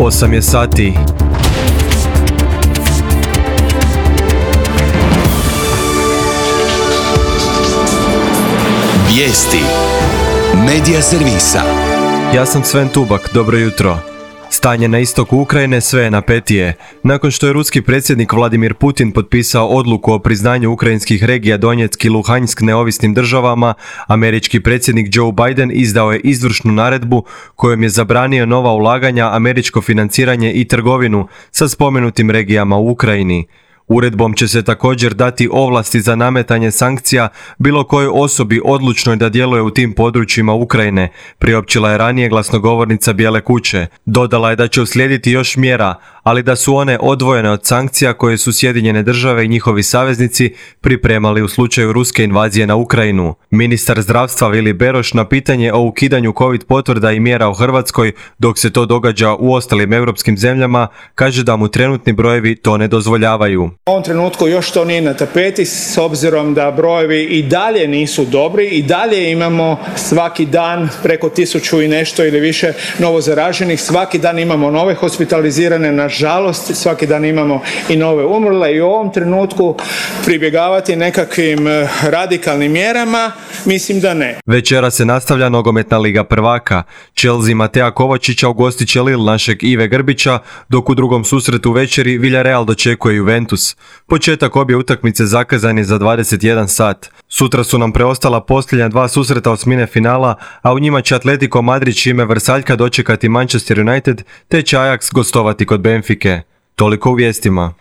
8 je sati. Vijesti Medija servisa. Ja sam Sven Tubak, dobro jutro. Stanje na istoku Ukrajine sve je napetije. Nakon što je ruski predsjednik Vladimir Putin potpisao odluku o priznanju ukrajinskih regija Donjeck i Luhansk neovisnim državama, američki predsjednik Joe Biden izdao je izvršnu naredbu kojom je zabranio nova ulaganja, američko financiranje i trgovinu sa spomenutim regijama u Ukrajini. Uredbom će se također dati ovlasti za nametanje sankcija bilo kojoj osobi odlučnoj da djeluje u tim područjima Ukrajine, priopćila je ranije glasnogovornica Bijele kuće. Dodala je da će uslijediti još mjera, ali da su one odvojene od sankcija koje su Sjedinjene države i njihovi saveznici pripremali u slučaju ruske invazije na Ukrajinu. Ministar zdravstva Vili Beroš na pitanje o ukidanju COVID potvrda i mjera u Hrvatskoj dok se to događa u ostalim europskim zemljama, kaže da mu trenutni brojevi to ne dozvoljavaju. U ovom trenutku još to nije na tapeti s obzirom da brojevi i dalje nisu dobri, i dalje imamo svaki dan preko 1000 i nešto ili više novo zaraženih, svaki dan imamo nove hospitalizirane, nažalost svaki dan imamo i nove umrle, i u ovom trenutku pribjegavati nekakvim radikalnim mjerama, mislim da ne. Večera se nastavlja nogometna liga prvaka. Chelsea Mateja Kovačića ugostit će Lille našeg Ive Grbića, dok u drugom susretu večeri Villarreal dočekuje Juventus. Početak obje utakmice zakazan je za 21 sat. Sutra su nam preostala posljednja dva susreta osmine finala, a u njima će Atletico Madrid čime Vrsaljka dočekati Manchester United, te će Ajax gostovati kod Benfike. Toliko u vijestima.